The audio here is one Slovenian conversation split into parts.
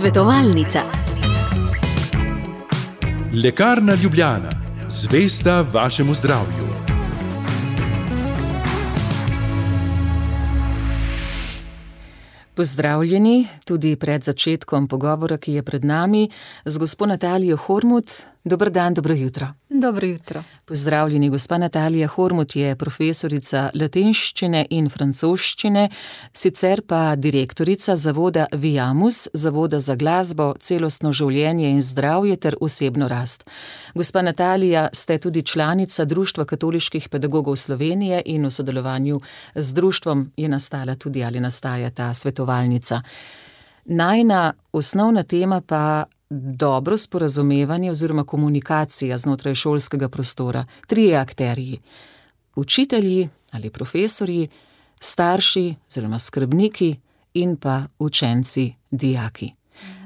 Svetovalnica. Lekarna Ljubljana, zvesta vašemu zdravju. Pozdravljeni tudi pred začetkom pogovora, ki je pred nami, z gospo Natalijo Hormuth. Dober dan, dobro jutro. Dobro jutro. Pozdravljeni, gospa Natalija Hormuth je profesorica latinščine in francoščine, sicer pa direktorica zavoda Viamus, zavoda za glasbo, celostno življenje in zdravje ter osebno rast. Gospa Natalija, ste tudi članica Društva katoliških pedagogov Slovenije in v sodelovanju z društvom je nastala tudi ali nastaja ta svetovalnica. Najina osnovna tema pa dobro sporazumevanje oziroma komunikacija znotraj šolskega prostora. Trije akterji, učitelji ali profesorji, starši oziroma skrbniki in pa učenci, dijaki.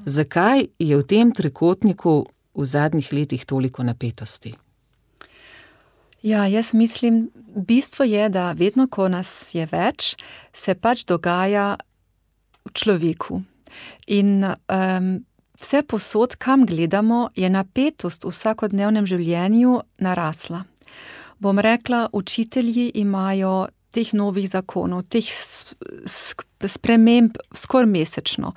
Zakaj je v tem trikotniku v zadnjih letih toliko napetosti? Ja, jaz mislim, bistvo je, da vedno, ko nas je več, se pač dogaja v človeku. In vse posod, kam gledamo, je napetost v vsakodnevnem življenju narasla. Bom rekla, učitelji imajo teh novih zakonov, teh sprememb skoraj mesečno.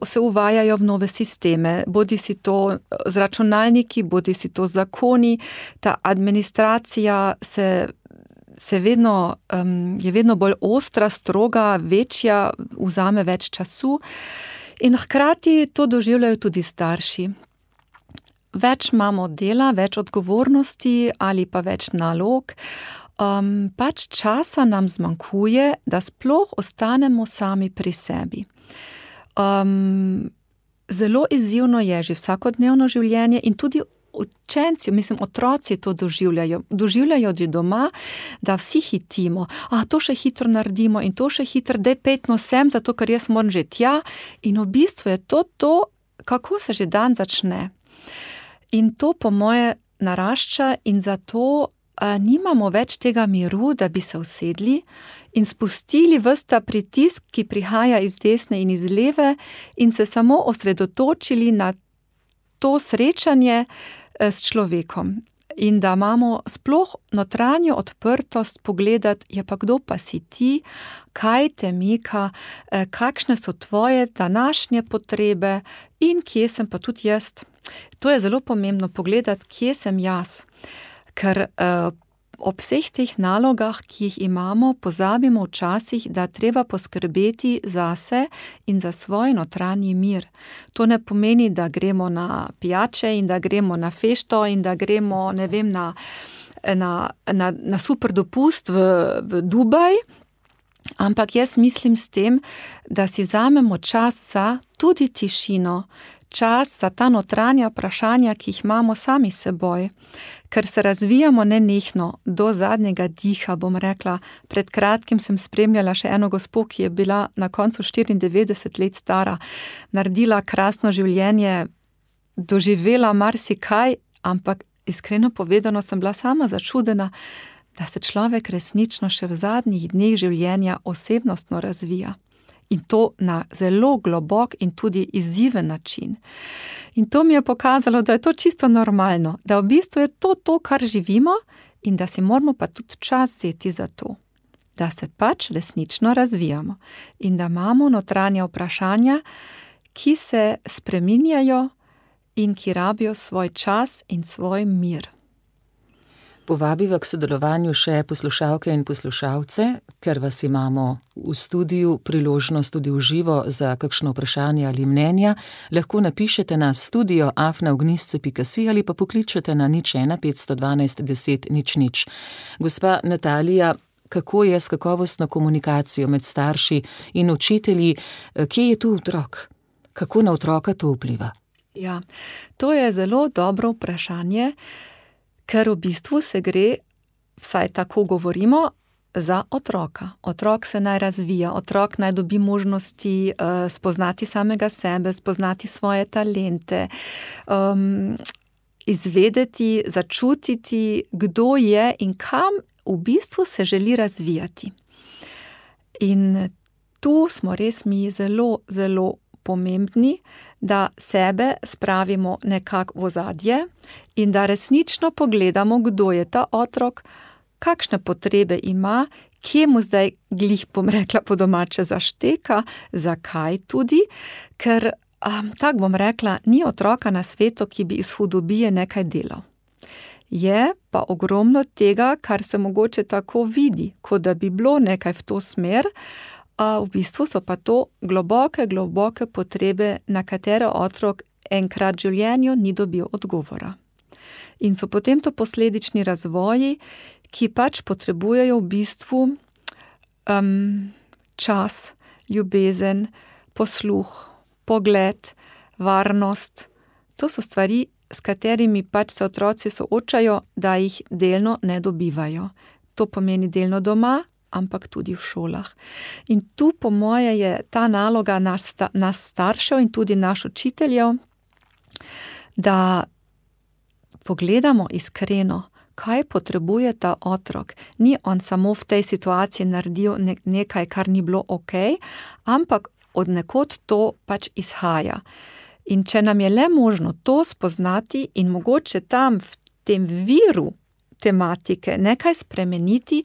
Se uvajajo v nove sisteme, bodi si to z računalniki, bodi si to zakoni, ta administracija je vedno bolj ostra, stroga, večja, vzame več času. In hkrati to doživljajo tudi starši. Več imamo dela, več odgovornosti ali pa več nalog. Pač časa nam zmanjkuje, da sploh ostanemo sami pri sebi. Zelo izzivno je že vsakodnevno življenje in tudi učenci, otroci to doživljajo. Doživljajo že doma, da vsi hitimo. To še hitro naredimo in to še hitro, daj petno sem, zato ker jaz moram že tja. In v bistvu je to, kako se že dan začne. In to po moje narašča in zato nimamo več tega miru, da bi se usedli in spustili ves ta pritisk, ki prihaja iz desne in iz leve in se samo osredotočili na to srečanje s človekom. In da imamo sploh notranjo odprtost pogledati, je pa kdo pa si ti, kaj te mika, kakšne so tvoje današnje potrebe in kje sem pa tudi jaz. To je zelo pomembno pogledati, kje sem jaz. Ker ob vseh teh nalogah, ki jih imamo, pozabimo včasih, da treba poskrbeti zase in za svoj notranji mir. To ne pomeni, da gremo na pijače in da gremo na fešto in da gremo, ne vem, na super dopust v Dubaj, ampak jaz mislim s tem, da si vzamemo čas za tudi tišino, čas za ta notranja vprašanja, ki jih imamo sami s seboj, ker se razvijamo nenehno do zadnjega diha, bom rekla. Pred kratkim sem spremljala še eno gospo, ki je bila na koncu 94 let stara, naredila krasno življenje, doživela marsikaj, ampak iskreno povedano sem bila sama začudena, da se človek resnično še v zadnjih dneh življenja osebnostno razvija. In to na zelo globok in tudi izziven način. In to mi je pokazalo, da je to čisto normalno, da v bistvu je to, kar živimo in da si moramo pa tudi čas vzeti za to, da se pač resnično razvijamo in da imamo notranja vprašanja, ki se spreminjajo in ki rabijo svoj čas in svoj mir. Povabiva k sodelovanju še poslušalke in poslušalce, ker vas imamo v studiu, priložnost tudi v živo za kakšno vprašanje ali mnenja. Lahko napišete na studio@ognisce.si ali pa pokličete na 01 512 10 00. Gospa Natalija, kako je s kakovostno komunikacijo med starši in učitelji? Kje je tu otrok? Kako na otroka to vpliva? Ja, to je zelo dobro vprašanje, ker v bistvu se gre, vsaj tako govorimo, za otroka. Otrok se naj razvija, otrok naj dobi možnosti spoznati samega sebe, spoznati svoje talente, izvedeti, začutiti, kdo je in kam v bistvu se želi razvijati. In tu smo res mi zelo, zelo pomembni, da sebe spravimo nekako v ozadje in da resnično pogledamo, kdo je ta otrok, kakšne potrebe ima, kje mu zdaj glih, bom rekla po domače, zašteka, zakaj tudi, ker, tako bom rekla, ni otroka na svetu, ki bi iz hudobije nekaj delal. Je pa ogromno tega, kar se mogoče tako vidi, kot da bi bilo nekaj v to smer, v bistvu so pa to globoke potrebe, na katere otrok enkrat v življenju ni dobil odgovora. In so potem to posledični razvoji, ki pač potrebujejo v bistvu čas, ljubezen, posluh, pogled, varnost. To so stvari, s katerimi pač se otroci soočajo, da jih delno ne dobivajo. To pomeni delno doma, ampak tudi v šolah. In tu, po moje, je ta naloga nas staršev in tudi naš učiteljev, da pogledamo iskreno, kaj potrebuje ta otrok. Ni on samo v tej situaciji naredil nekaj, kar ni bilo okej, ampak od nekod to pač izhaja. In če nam je le možno to spoznati in mogoče tam v tem viru tematike nekaj spremeniti,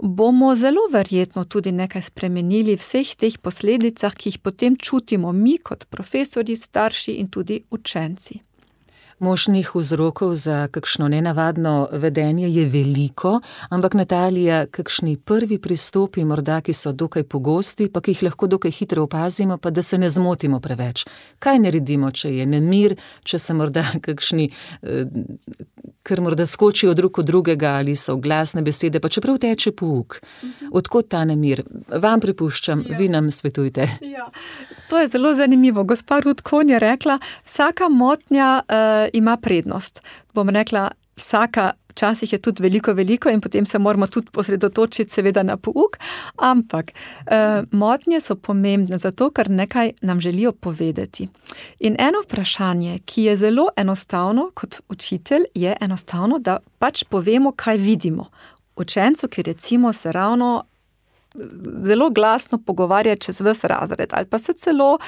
bomo zelo verjetno tudi nekaj spremenili v vseh teh posledicah, ki jih potem čutimo mi kot profesorji, starši in tudi učenci. Možnih vzrokov za kakšno nenavadno vedenje je veliko, ampak Natalija, kakšni prvi pristopi morda, ki so dokaj pogosti, pa ki jih lahko dokaj hitro opazimo, pa da se ne zmotimo preveč. Kaj naredimo, če je nemir, če se morda kakšni, ker morda skočijo drug od drugega ali so glasne besede, pa čeprav teče pouk. Odkot ta nemir? Vam pripuščam, vi nam svetujte. Ja, to je zelo zanimivo. Gospa Ruth Kohn je rekla, vsaka motnja ima prednost. Bom rekla, vsaka, včasih je tudi veliko in potem se moramo tudi osredotočiti seveda na pouk, ampak motnje so pomembne zato, ker nekaj nam želijo povedati. In eno vprašanje, ki je zelo enostavno kot učitelj, je enostavno, da pač povemo, kaj vidimo. Učencu, ki recimo se ravno zelo glasno pogovarja čez ves razred ali pa se celo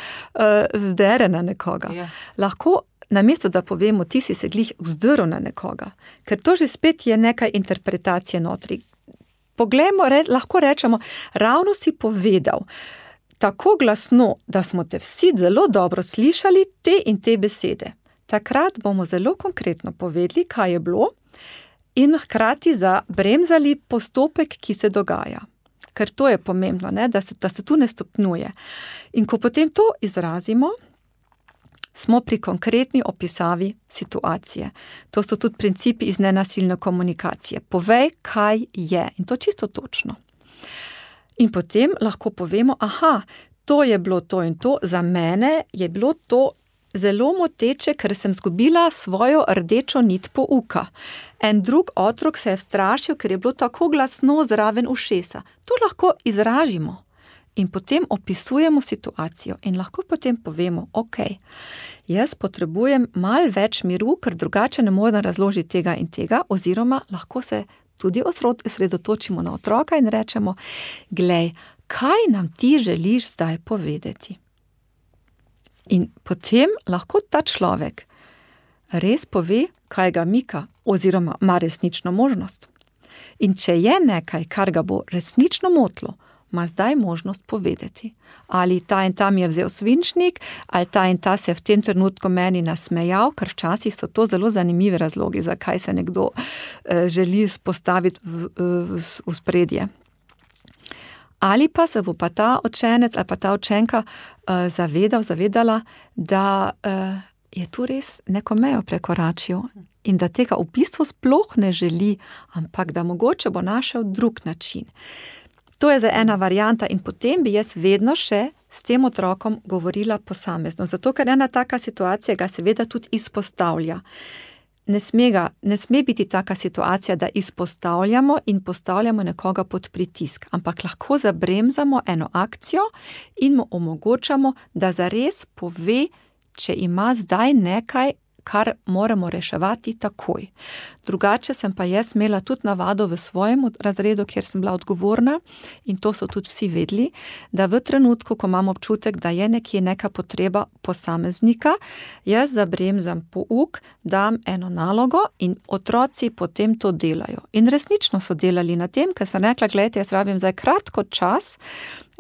zdere na nekoga. Ja. Lahko namesto da povemo, ti si se glih vzdrl na nekoga, ker to že spet je nekaj interpretacije notri. Poglejmo, lahko rečemo, ravno si povedal tako glasno, da smo te vsi zelo dobro slišali te in te besede. Takrat bomo zelo konkretno povedali, kaj je bilo in hkrati zabremzali postopek, ki se dogaja. Ker to je pomembno, ne? Da se tu ne stopnjuje. In ko potem to izrazimo, smo pri konkretni opisavi situacije. To so tudi principi iz nenasilne komunikacije. Povej, kaj je. In to čisto točno. In potem lahko povemo, to je bilo to in to, za mene je bilo to zelo moteče, ker sem zgubila svojo rdečo nit pouka. En drug otrok se je strašil, ker je bilo tako glasno zraven ušesa. To lahko izražimo. In potem opisujemo situacijo in lahko potem povemo, jaz potrebujem malo več miru, ker drugače ne morem razložiti tega in tega, oziroma lahko se tudi osredotočimo na otroka in rečemo, glej, kaj nam ti želiš zdaj povedati? In potem lahko ta človek res pove, kaj ga mika, oziroma ima resnično možnost. In če je nekaj, kar ga bo resnično motilo, ima zdaj možnost povedati. Ali ta in ta mi je vzel svinčnik, ali ta in ta se je v tem trenutku meni nasmejal, ker včasih so to zelo zanimivi razlogi, zakaj se nekdo želi postaviti v spredje. Ali pa se bo pa ta učenec ali pa ta učenka zavedala, da je tu res neko mejo prekoračil in da tega v bistvu sploh ne želi, ampak da mogoče bo našel drug način. To je za ena varianta in potem bi jaz vedno še s tem otrokom govorila posamezno, zato ker ena taka situacija ga seveda tudi izpostavlja. Ne sme biti taka situacija, da izpostavljamo in postavljamo nekoga pod pritisk, ampak lahko zabremzamo eno akcijo in mu omogočamo, da zares pove, če ima zdaj nekaj, kar moramo reševati takoj. Drugače sem pa jaz imela tudi navado v svojem razredu, kjer sem bila odgovorna, in to so tudi vsi vedeli, da v trenutku, ko imam občutek, da je nekje neka potreba posameznika, jaz zabremzam pouk, dam eno nalogo in otroci potem to delajo. In resnično so delali na tem, ker sem rekla, gledajte, jaz rabim zdaj kratko čas,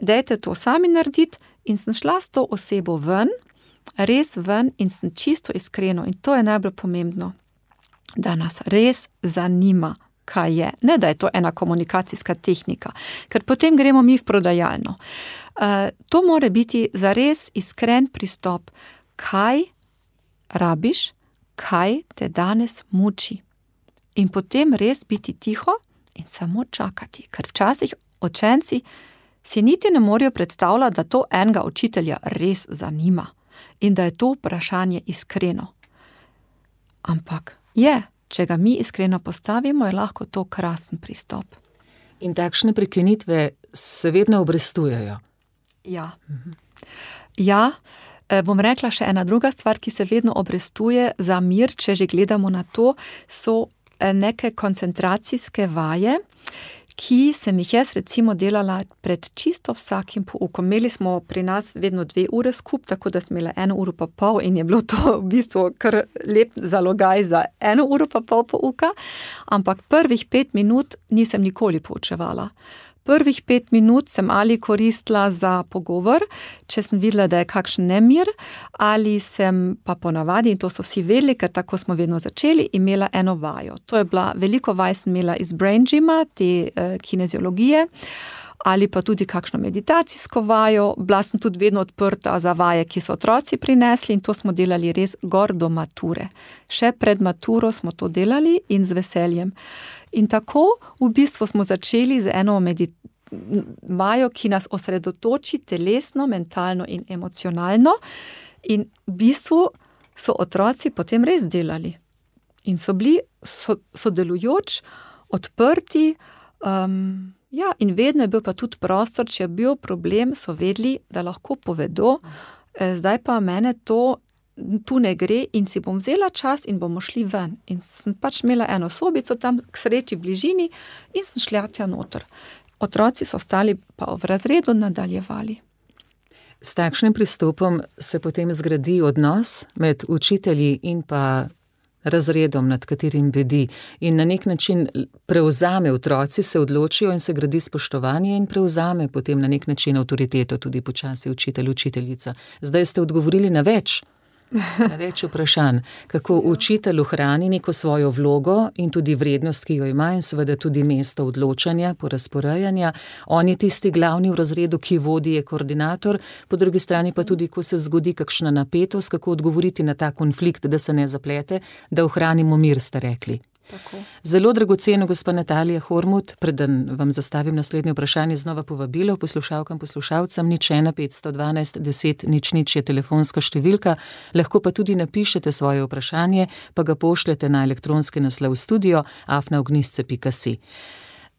dajte to sami narediti, in sem šla s to osebo ven, res ven, in sem čisto iskreno, in to je najbolj pomembno, da nas res zanima, kaj je. Ne, da je to ena komunikacijska tehnika, ker potem gremo mi v prodajalno. To mora biti zares iskren pristop, kaj rabiš, kaj te danes muči. In potem res biti tiho in samo čakati, ker včasih učenci si niti ne morejo predstavljati, da to enega učitelja res zanima in da je to vprašanje iskreno. Ampak če ga mi iskreno postavimo, je lahko to krasen pristop. In takšne prekinitve se vedno obrestujejo. Ja, bom rekla še ena druga stvar, ki se vedno obrestuje za mir, če že gledamo na to, so neke koncentracijske vaje, ki sem jih jaz recimo delala pred čisto vsakim poukom. Imeli smo pri nas vedno 2 ure skup, tako da sem imela 1 uro pa pol in je bilo to v bistvu kar lep zalogaj za 1 uro pa pol pouka, ampak prvih 5 minut nisem nikoli poučevala. Prvih 5 minut sem ali koristila za pogovor, če sem videla, da je kakšen nemir, ali sem pa ponavadi, in to so vsi vedeli, ker tako smo vedno začeli, imela eno vajo. To je bila, veliko vaj sem imela iz Brain Gyma, te kineziologije, ali pa tudi kakšno meditacijsko vajo. Bila sem tudi vedno odprta za vaje, ki so otroci prinesli, in to smo delali res gor do mature. Še pred maturo smo to delali in z veseljem. In tako v bistvu smo začeli z eno vajo, ki nas osredotoči telesno, mentalno in emocionalno, in v bistvu so otroci potem res delali. In so bili sodelujoč, odprti, in vedno je bil pa tudi prostor, če je bil problem, so vedeli, da lahko povedo, zdaj pa mene to tu ne gre in si bom vzela čas in bomo šli ven. In sem pač imela eno sobico tam k sreči bližini in sem šla tja noter. Otroci so ostali pa v razredu nadaljevali. S takšnim pristopom se potem zgradi odnos med učitelji in pa razredom, nad katerim bedi, in na nek način prevzame, otroci se odločijo in se gradi spoštovanje in prevzame potem na nek način avtoriteto tudi počasi učitelj, učiteljica. Zdaj ste odgovorili na več vprašanj, kako učitelj ohrani neko svojo vlogo in tudi vrednost, ki jo ima, in seveda tudi mesto odločanja, porazporejanja. On je tisti glavni v razredu, ki vodi, je koordinator, po drugi strani pa tudi, ko se zgodi kakšna napetost, kako odgovoriti na ta konflikt, da se ne zaplete, da ohranimo mir, ste rekli. Tako. Zelo dragoceno, gospa Natalija Hormuth, preden vam zastavim naslednje vprašanje, znova povabilo poslušalkam, poslušalcem, 01 512 10 00 je telefonska številka, lahko pa tudi napišete svoje vprašanje, pa ga pošljete na elektronski naslov studio@ognjišče.si.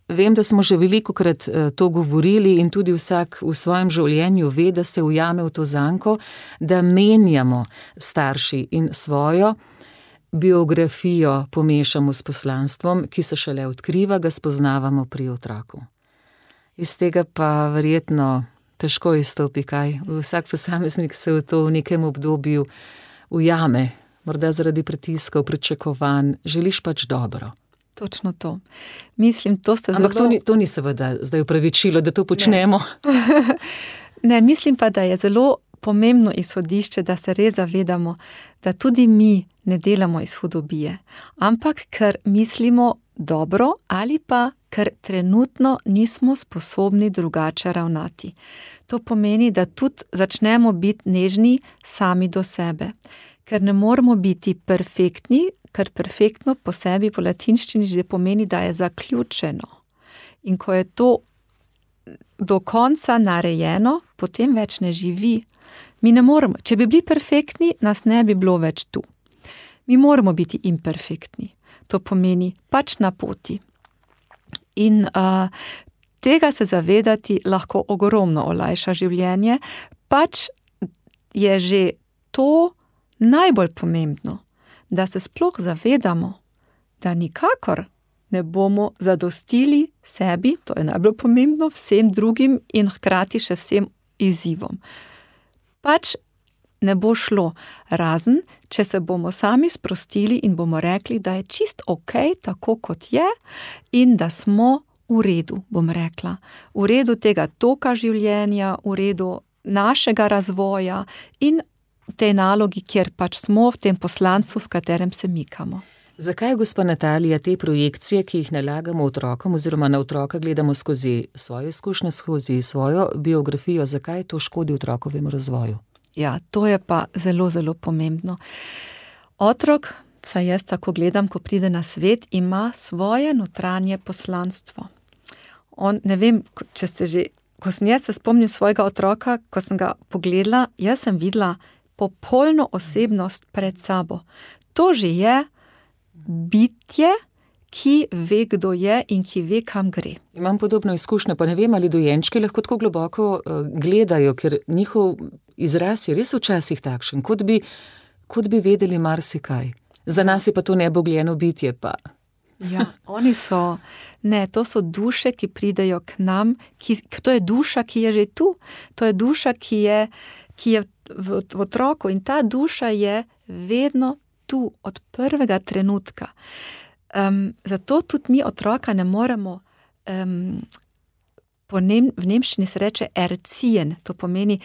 Vem, da smo že velikokrat to govorili in tudi vsak v svojem življenju ve, da se ujame v to zanko, da menjamo starši in svojo biografijo pomešamo s poslanstvom, ki se šele odkriva, ga spoznavamo pri otroku. Iz tega pa verjetno težko izstopi kaj. Vsak posameznik se v to v nekem obdobju ujame, morda zaradi pritiskov, pričakovanj, želiš pač dobro. Točno to. Mislim, to ste Ampak to ni seveda zdaj upravičilo, da to počnemo. Ne, mislim pa, da je zelo pomembno izhodišče, da se res zavedamo, da tudi mi ne delamo iz hudobije, ampak ker mislimo dobro ali pa ker trenutno nismo sposobni drugače ravnati. To pomeni, da tudi začnemo biti nežni sami do sebe, ker ne moramo biti perfektni, ker perfektno po sebi po latinščini že pomeni, da je zaključeno. In ko je to do konca narejeno, potem več ne živi. Mi ne moremo, če bi bili perfektni, nas ne bi bilo več tu. Mi moramo biti imperfektni. To pomeni pač na poti. In tega se zavedati lahko ogromno olajša življenje, pač je že to najbolj pomembno, da se sploh zavedamo, da nikakor ne bomo zadostili sebi, to je najbolj pomembno, vsem drugim in hkrati še vsem izzivom. Pač ne bo šlo, razen, če se bomo sami sprostili in bomo rekli, da je čist okej, tako kot je in da smo v redu, bom rekla. V redu tega toka življenja, v redu našega razvoja in v tej nalogi, kjer pač smo, v tem poslanstvu, v katerem se mikamo. Zakaj, gospa Natalija, te projekcije, ki jih nalagamo otrokom oziroma na otroka gledamo skozi svoje izkušnje, skozi svojo biografijo, zakaj to škodi otrokovemu razvoju? Ja, to je pa zelo, zelo pomembno. Otrok, saj jaz tako gledam, ko pride na svet, ima svoje notranje poslanstvo. On, ne vem, če ste že, ko sem jaz se spomnim svojega otroka, ko sem ga pogledala, jaz sem videla popolno osebnost pred sabo. To že je bitje, ki ve, kdo je in ki ve, kam gre. Imam podobno izkušnjo, pa ne vem, ali dojenčki lahko tako globoko gledajo, ker njihov izraz je res včasih takšen, kot bi vedeli marsikaj. Za nas je pa to nebogljeno bitje pa. Ja, oni so, ne, to so duše, ki pridejo k nam, to je duša, ki je že tu, to je duša, ki je v otroku in ta duša je vedno tu, od prvega trenutka. Zato tudi mi otroka ne moremo, v nemščini se reče erziehen, to pomeni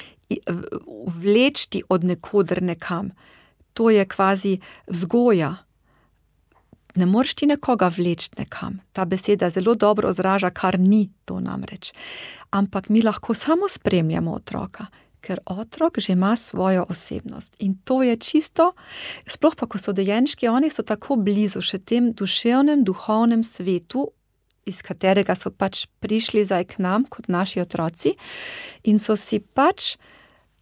vleči od nekoder nekam. To je kvazi vzgoja. Ne moreš ti nekoga vleči nekam. Ta beseda zelo dobro odraža, kar ni to namreč. Ampak mi lahko samo spremljamo otroka, ker otrok že ima svojo osebnost. In to je čisto, sploh pa, ko so dojenčki, oni so tako blizu še tem duševnem, duhovnem svetu, iz katerega so pač prišli zdaj k nam, kot naši otroci, in so si pač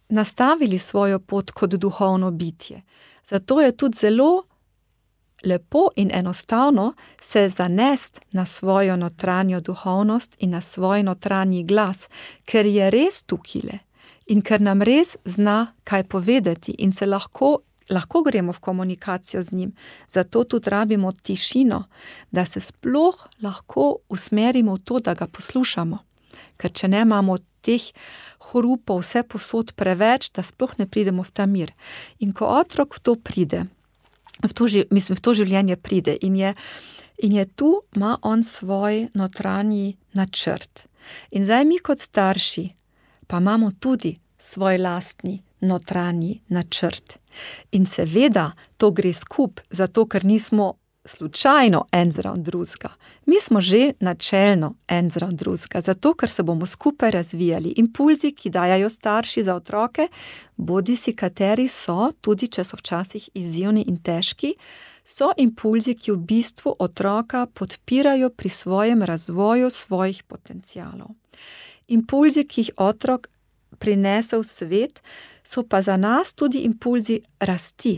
nastavili svojo pot kot duhovno bitje. Zato je tudi zelo lepo in enostavno se zanesti na svojo notranjo duhovnost in na svoj notranji glas, ker je res tukile in ker nam res zna kaj povedati in se lahko gremo v komunikacijo z njim. Zato tudi rabimo tišino, da se sploh lahko usmerimo v to, da ga poslušamo. Ker če ne imamo teh hrupov vse posod preveč, da sploh ne pridemo v ta mir. In ko otrok v to pride, v to življenje pride in je tu, ima on svoj notranji načrt. In zdaj mi kot starši pa imamo tudi svoj lastni notranji načrt. In seveda to gre skup, zato ker nismo slučajno en zraven drugega. Mi smo že načelno en zraven drugega, zato ker se bomo skupaj razvijali. Impulzi, ki dajajo starši za otroke, bodisi kateri so, tudi če so včasih izzivni in težki, so impulzi, ki v bistvu otroka podpirajo pri svojem razvoju svojih potencialov. Impulzi, ki jih otrok prinese v svet, so pa za nas tudi impulzi rasti.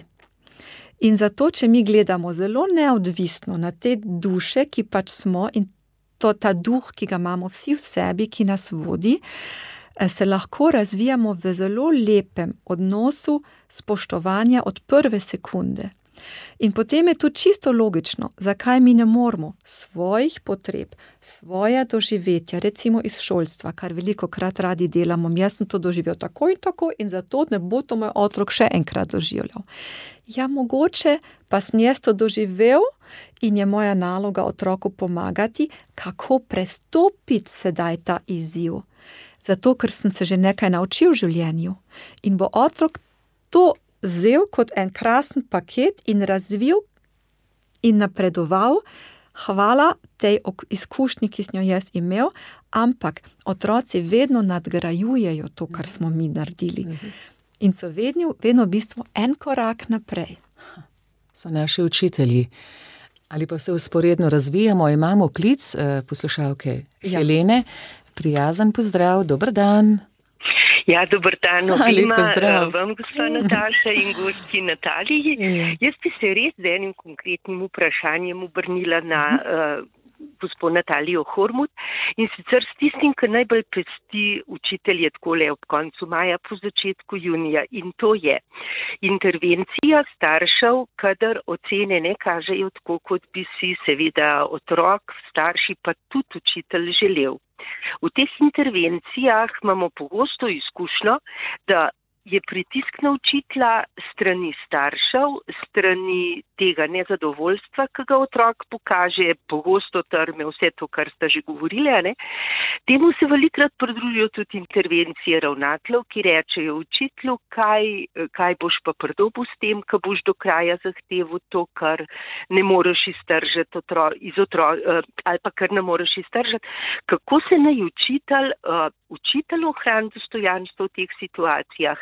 In zato, če mi gledamo zelo neodvisno na te duše, ki pač smo, in ta duh, ki ga imamo vsi v sebi, ki nas vodi, se lahko razvijamo v zelo lepem odnosu spoštovanja od prve sekunde. In potem je to čisto logično, zakaj mi ne moremo svojih potreb, svoja doživetja, recimo iz šolstva, kar velikokrat radi delamo, jaz sem to doživel tako in zato ne bo to moj otrok še enkrat doživljal. Ja, mogoče pa sem jaz to doživel in je moja naloga otroku pomagati, kako prestopiti sedaj ta izziv. Zato, ker sem se že nekaj naučil v življenju in bo otrok to vzel kot en krasen paket in razvil in napredoval, hvala tej izkušnji, ki sem jo jaz imel, ampak otroci vedno nadgrajujejo to, kar smo mi naredili. In so vedno v bistvu en korak naprej. So naši učitelji. Ali pa se vzporedno razvijamo, imamo klic poslušalke Helene. Prijazen pozdrav, dober dan. Ja, dober dan, obima vam, gospa Nataša in gostji Nataliji. Jaz bi se res z enim konkretnim vprašanjem obrnila na gospod Natalijo Hormut, in sicer s tistim, kar najbolj pesti učitelje takole ob koncu maja po začetku junija, in to je intervencija staršev, kadar ocene ne kažejo tako, kot bi si seveda otrok, starši pa tudi učitelj želel. V teh intervencijah imamo pogosto izkušnjo, da je pritisk na učitelja strani staršev, strani tega nezadovoljstva, ki ga otrok pokaže, pogosto trme, vse to, kar sta že govorili, ne? Temu se velikrat pridružijo tudi intervencije ravnateljev, ki rečejo učitelju, kaj boš pa pridobil s tem, ko boš do kraja zahteval to, kar ne moreš iztržiti ali pa kar ne moreš iztržiti. Kako se naj učitelj ohrani dostojanstvo v teh situacijah,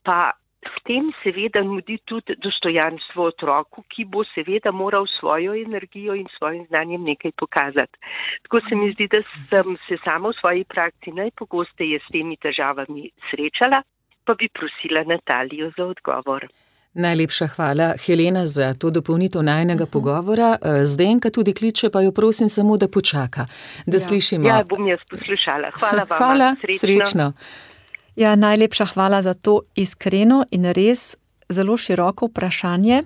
pa s tem seveda nudi tudi dostojanstvo otroku, ki bo seveda moral svojo energijo in svojim znanjem nekaj pokazati. Tako se mi zdi, da sem se sama v svoji praksi najpogosteje s temi težavami srečala, pa bi prosila Natalijo za odgovor. Najlepša hvala, Helena, za to dopolnitev najinega pogovora. Zdenka tudi kliče, pa jo prosim samo, da počaka, da slišimo. Ja, bom jaz poslušala. Hvala vam. Hvala, srečno. Ja, najlepša hvala za to iskreno in res zelo široko vprašanje.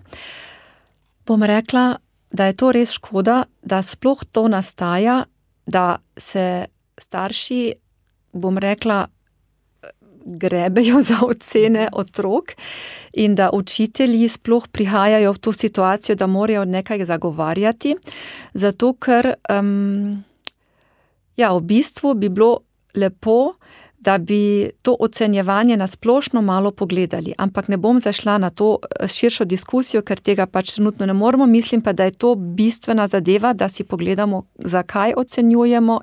Bom rekla, da je to res škoda, da sploh to nastaja, da se starši, bom rekla, grebejo za ocene otrok in da učitelji sploh prihajajo v to situacijo, da morajo nekaj zagovarjati, zato ker v bistvu bi bilo lepo, da bi to ocenjevanje na splošno malo pogledali, ampak ne bom zašla na to širšo diskusijo, ker tega pač trenutno ne moremo, mislim pa, da je to bistvena zadeva, da si pogledamo, zakaj ocenjujemo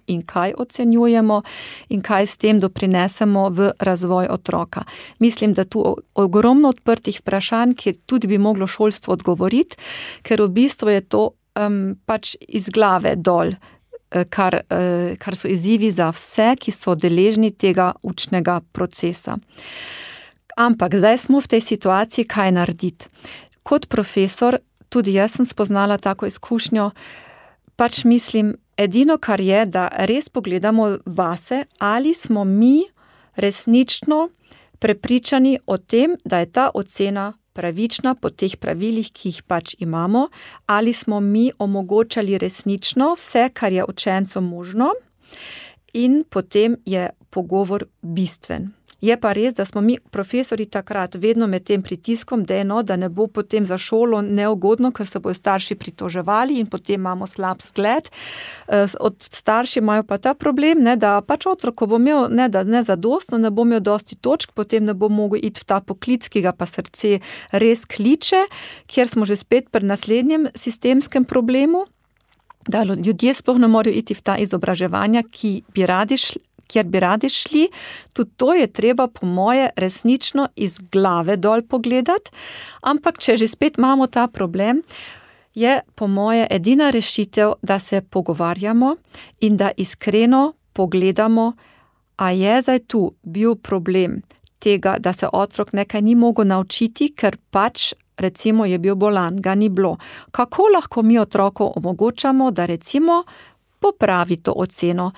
in kaj s tem doprinesemo v razvoj otroka. Mislim, da tu ogromno odprtih vprašanj, kjer tudi bi moglo šolstvo odgovoriti, ker v bistvu je to pač iz glave dol, kar so izzivi za vse, ki so deležni tega učnega procesa. Ampak zdaj smo v tej situaciji, kaj narediti. Kot profesor, tudi jaz sem spoznala tako izkušnjo, pač mislim, edino kar je, da res pogledamo vase, ali smo mi resnično prepričani o tem, da je ta ocena pravična po teh pravilih, ki jih pač imamo, ali smo mi omogočali resnično vse, kar je učencu možno, in potem je pogovor bistven. Je pa res, da smo mi profesori takrat vedno med tem pritiskom, da ne bo potem za šolo neugodno, ker se bojo starši pritoževali in potem imamo slab zgled. Od starši imajo pa ta problem, da pač otrok, ko bo imel nezadostno, ne bo imel dosti točk, potem ne bo mogel iti v ta poklic, ki ga pa srce res kliče, kjer smo že spet pri naslednjem sistemskem problemu, da ljudje sploh ne morejo iti v ta izobraževanja, kjer bi radi šli. Tudi to je treba, po moje, resnično iz glave dol pogledati, ampak če že spet imamo ta problem, je po moje edina rešitev, da se pogovarjamo in da iskreno pogledamo, a je zdaj tu bil problem tega, da se otrok nekaj ni mogel naučiti, ker pač recimo je bil bolan, ga ni bilo. Kako lahko mi otroku omogočamo, da recimo popravi to oceno,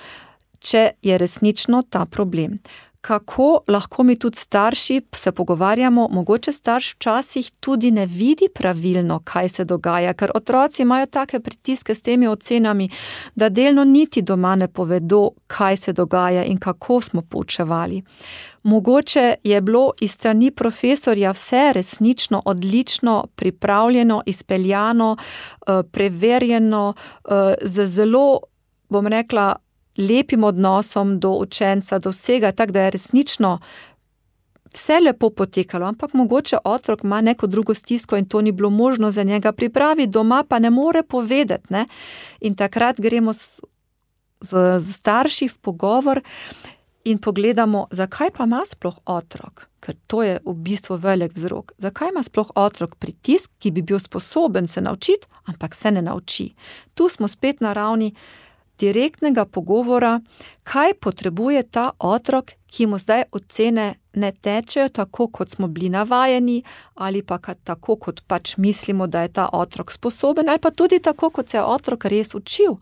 če je resnično ta problem? Kako lahko mi tudi starši se pogovarjamo, mogoče starš včasih tudi ne vidi pravilno, kaj se dogaja, ker otroci imajo take pritiske s temi ocenami, da delno niti doma ne povedo, kaj se dogaja in kako smo poučevali. Mogoče je bilo iz strani profesorja vse resnično, odlično, pripravljeno, izpeljano, preverjeno, z zelo, bom rekla, lepim odnosom do učenca, do vsega, tako da je resnično vse lepo potekalo, ampak mogoče otrok ima neko drugo stisko in to ni bilo možno za njega pripraviti, doma pa ne more povedati, ne? In takrat gremo z starši v pogovor in pogledamo, zakaj pa ima sploh otrok, ker to je v bistvu velik vzrok. Zakaj ima sploh otrok pritisk, ki bi bil sposoben se naučiti, ampak se ne nauči. Tu smo spet na ravni direktnega pogovora, kaj potrebuje ta otrok, ki mu zdaj ocene ne tečejo tako, kot smo bili navajeni, ali pa tako, kot pač mislimo, da je ta otrok sposoben, ali pa tudi tako, kot se je otrok res učil.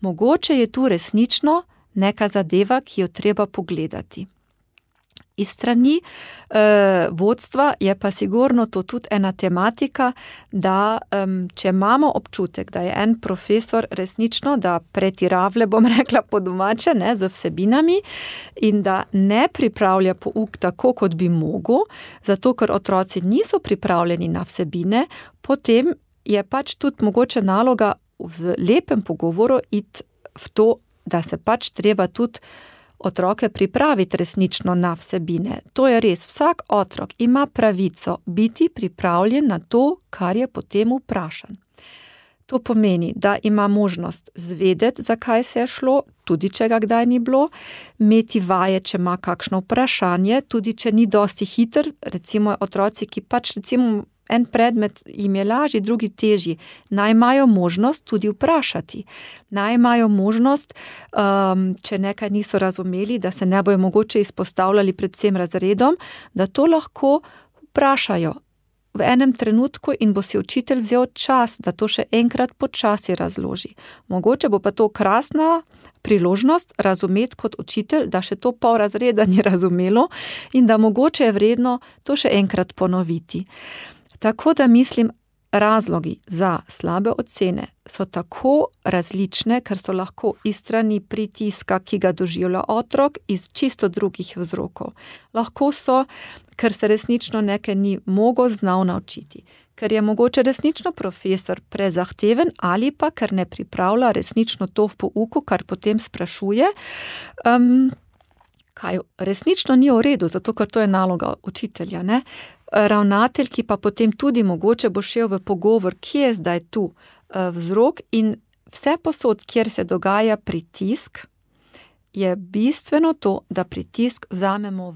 Mogoče je tu resnično neka zadeva, ki jo treba pogledati. Iz strani vodstva je pa sigurno to tudi ena tematika, da če imamo občutek, da je en profesor resnično, da pretiravle, bom rekla po domače, ne, z vsebinami in da ne pripravlja pouk tako, kot bi mogel, zato ker otroci niso pripravljeni na vsebine, potem je pač tudi mogoče naloga v lepem pogovoru iti v to, da se pač treba tudi otroke pripraviti resnično na vsebine. To je res, vsak otrok ima pravico biti pripravljen na to, kar je potem vprašan. To pomeni, da ima možnost zvedeti, zakaj se je šlo, tudi če ga kdaj ni bilo, imeti vaje, če ima kakšno vprašanje, tudi če ni dosti hiter, recimo otroci, ki pač recimo en predmet jim je lažji, drugi težji, naj imajo možnost tudi vprašati. Naj imajo možnost, če nekaj niso razumeli, da se ne bojo mogoče izpostavljali pred vsem razredom, da to lahko vprašajo v enem trenutku in bo si učitelj vzel čas, da to še enkrat počasi razloži. Mogoče bo pa to krasna priložnost razumeti kot učitelj, da še to pol razreda ni razumelo in da mogoče je vredno to še enkrat ponoviti. Tako da mislim, razlogi za slabe ocene so tako različne, ker so lahko iz strani pritiska, ki ga doživlja otrok, iz čisto drugih vzrokov. Lahko so, ker se resnično nekaj ni mogel znal naučiti, ker je mogoče resnično profesor prezahteven ali pa ker ne pripravlja resnično to v pouku, kar potem sprašuje, kaj resnično ni v redu, zato ker to je naloga učitelja, ne? Ravnatelj, ki pa potem tudi mogoče bo šel v pogovor, kje je zdaj tu vzrok in vse posod, kjer se dogaja pritisk, je bistveno to, da pritisk vzamemo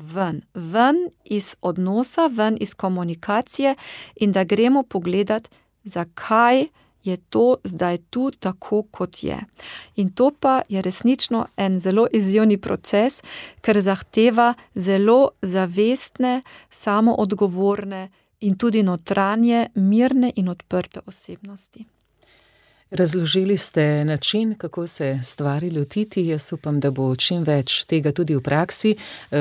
ven iz odnosa, ven iz komunikacije in da gremo pogledat, zakaj je to zdaj tu tako, kot je. In to pa je resnično en zelo izzivni proces, ker zahteva zelo zavestne, samoodgovorne in tudi notranje, mirne in odprte osebnosti. Razložili ste način, kako se stvari lotiti. Jaz upam, da bo čim več tega tudi v praksi.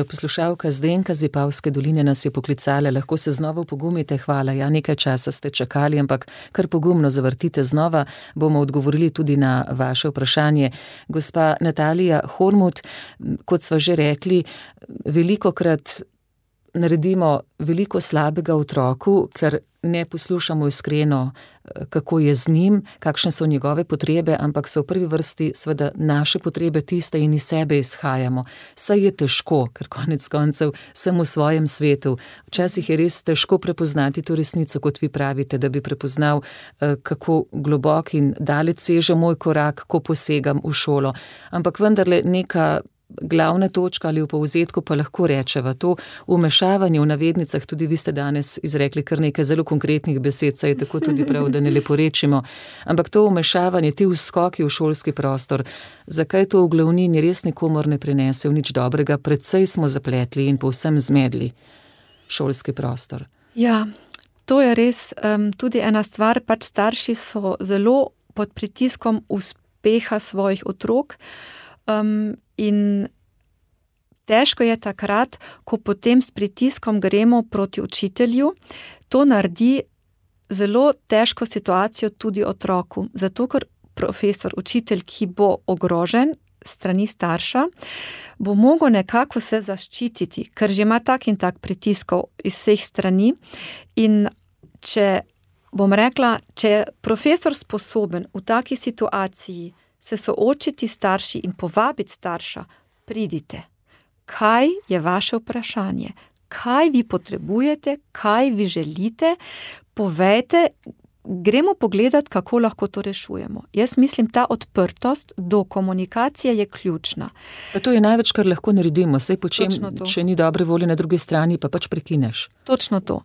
Poslušalka Zdenka z Vipavske doline nas je poklicala. Lahko se znova pogumite. Hvala. Ja, nekaj časa ste čakali, ampak kar pogumno zavrtite znova. Bomo odgovorili tudi na vaše vprašanje. Gospa Natalija Hormuth, kot sva že rekli, velikokrat naredimo veliko slabega otroku, ker ne poslušamo iskreno, kako je z njim, kakšne so njegove potrebe, ampak so v prvi vrsti seveda naše potrebe tiste in iz sebe izhajamo. Saj je težko, ker konec koncev sem v svojem svetu. Včasih je res težko prepoznati to resnico, kot vi pravite, da bi prepoznal, kako globok in daleč seže moj korak, ko posegam v šolo. Ampak vendarle neka glavna točka ali v povzetku pa lahko rečeva to vmešavanje v navednicah, tudi vi ste danes izrekli kar nekaj zelo konkretnih besed, saj je tako tudi prav, da ne leporečimo, ampak to vmešavanje, ti vskoki v šolski prostor, zakaj to v glavnini res nikomor ne prinese v nič dobrega, predvsej smo zapletli in povsem zmedli šolski prostor. Ja, to je res tudi ena stvar, pač starši so zelo pod pritiskom uspeha svojih otrok, in težko je takrat, ko potem s pritiskom gremo proti učitelju, to naredi zelo težko situacijo tudi otroku, zato ker profesor, učitelj, ki bo ogrožen strani starša, bo mogel nekako se zaščititi, ker že ima tak in tak pritiskov iz vseh strani in če je profesor sposoben v taki situaciji se soočiti starši in povabiti starša, pridite. Kaj je vaše vprašanje? Kaj vi potrebujete? Kaj vi želite? Povejte, gremo pogledati, kako lahko to rešujemo. Jaz mislim, ta odprtost do komunikacije je ključna. Pa to je največ, kar lahko naredimo. Saj počem, če ni dobre volje na drugi strani, pa pač prekineš. Točno to.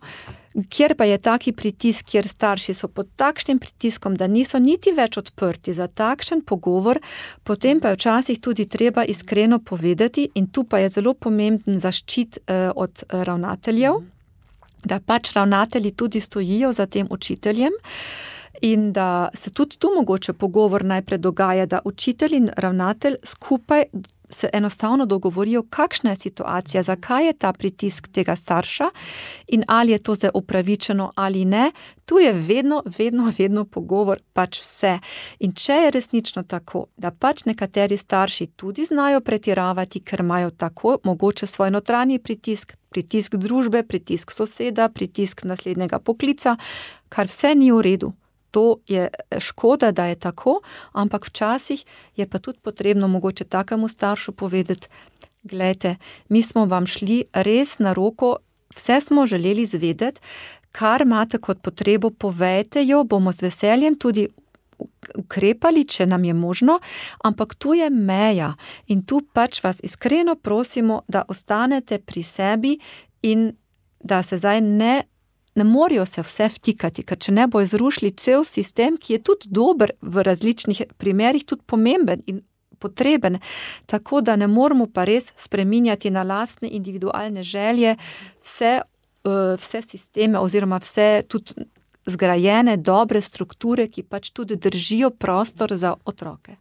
Kjer pa je taki pritisk, kjer starši so pod takšnim pritiskom, da niso niti več odprti za takšen pogovor, potem pa je včasih tudi treba iskreno povedati, in tu pa je zelo pomemben zaščit od ravnateljev, da pač ravnatelji tudi stojijo za tem učiteljem, in da se tudi tu mogoče pogovor najprej dogaja, da učitelj in ravnatelj skupaj se enostavno dogovorijo, kakšna je situacija, zakaj je ta pritisk tega starša in ali je to zdaj upravičeno ali ne. Tu je vedno pogovor pač vse. In če je resnično tako, da pač nekateri starši tudi znajo pretiravati, ker imajo tako mogoče svoj notranji pritisk družbe, pritisk soseda, pritisk naslednjega poklica, kar vse ni v redu. To je škoda, da je tako, ampak včasih je pa tudi potrebno mogoče takemu staršu povedati, glejte, mi smo vam šli res na roko, vse smo želeli zvedeti, kar imate kot potrebo, povejte jo, bomo z veseljem tudi ukrepali, če nam je možno, ampak tu je meja in tu pač vas iskreno prosimo, da ostanete pri sebi in da se zdaj ne morajo se vse vtikati, ker če ne bo zrušili cel sistem, ki je tudi dober v različnih primerih, tudi pomemben in potreben, tako da ne moramo pa res spreminjati na lastne individualne želje vse sisteme oziroma vse tudi zgrajene dobre strukture, ki pač tudi držijo prostor za otroke.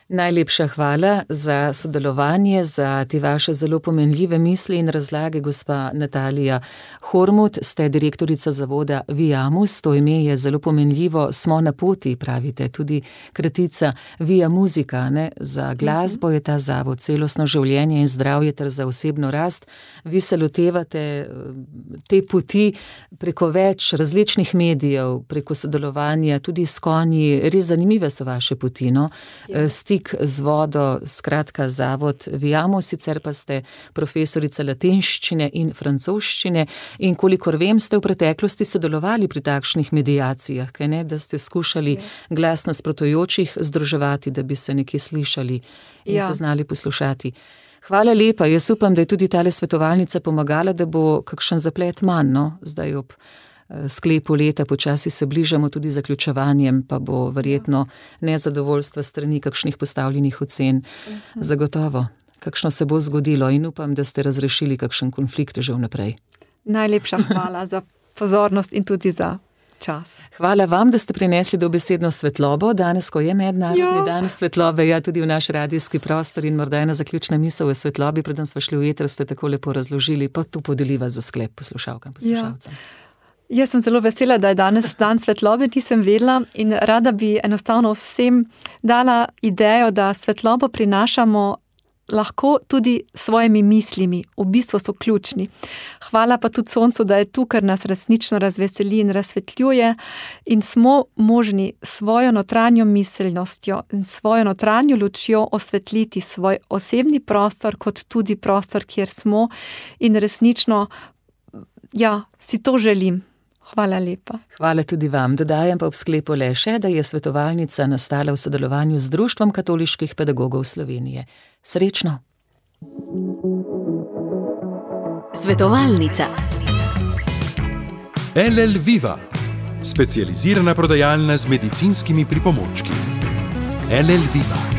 Najlepša hvala za sodelovanje, za te vaše zelo pomenljive misli in razlage, gospa Natalija Hormuth, ste direktorica zavoda Viamus, to ime je zelo pomenljivo, smo na poti, pravite, tudi kratica Via Musica, ne? Za glasbo je ta zavod, celostno življenje in zdravje ter za osebno rast. Vi se lotevate te poti preko več različnih medijev, preko sodelovanja, tudi s konji, res zanimive so vaše poti, no? Z vodo, skratka zavod Viamus, sicer pa ste profesorica latinščine in francoščine in kolikor vem, ste v preteklosti sodelovali pri takšnih medijacijah, kaj ne, da ste skušali glas nasprotujočih združevati, da bi se nekje slišali in se znali poslušati. Hvala lepa, jaz upam, da je tudi tale svetovalnica pomagala, da bo kakšen zaplet manj, no, zdaj ob sklepu leta, počasi se bližamo tudi zaključevanjem, pa bo verjetno nezadovoljstva strani kakšnih postavljenih ocen. Zagotovo, kakšno se bo zgodilo in upam, da ste razrešili kakšen konflikt že vnaprej. Najlepša hvala za pozornost in tudi za čas. Hvala vam, da ste prinesli dobesedno svetlobo, danes, ko je mednarodni dan svetlobe, tudi v naš radijski prostor in morda ena zaključna misel v svetlobi, preden smo šli v eter, ste tako lepo razložili, pa to podeliva za sklep poslušalkam, poslušalcem. Jaz sem zelo vesela, da je danes dan svetlobe, nisem vedela in rada bi enostavno vsem dala idejo, da svetlobo prinašamo lahko tudi svojimi mislimi, v bistvu so ključni. Hvala pa tudi soncu, da je tu, ker nas resnično razveseli in razsvetljuje in smo možni svojo notranjo miselnostjo in svojo notranjo lučjo osvetliti svoj osebni prostor, kot tudi prostor, kjer smo in resnično, si to želim. Hvala lepa. Hvala tudi vam. Dodajam pa ob sklepu le še, da je svetovalnica nastala v sodelovanju z Društvom katoliških pedagogov Slovenije. Srečno! Svetovalnica LL Viva, specializirana prodajalna z medicinskimi pripomočki. LL Viva.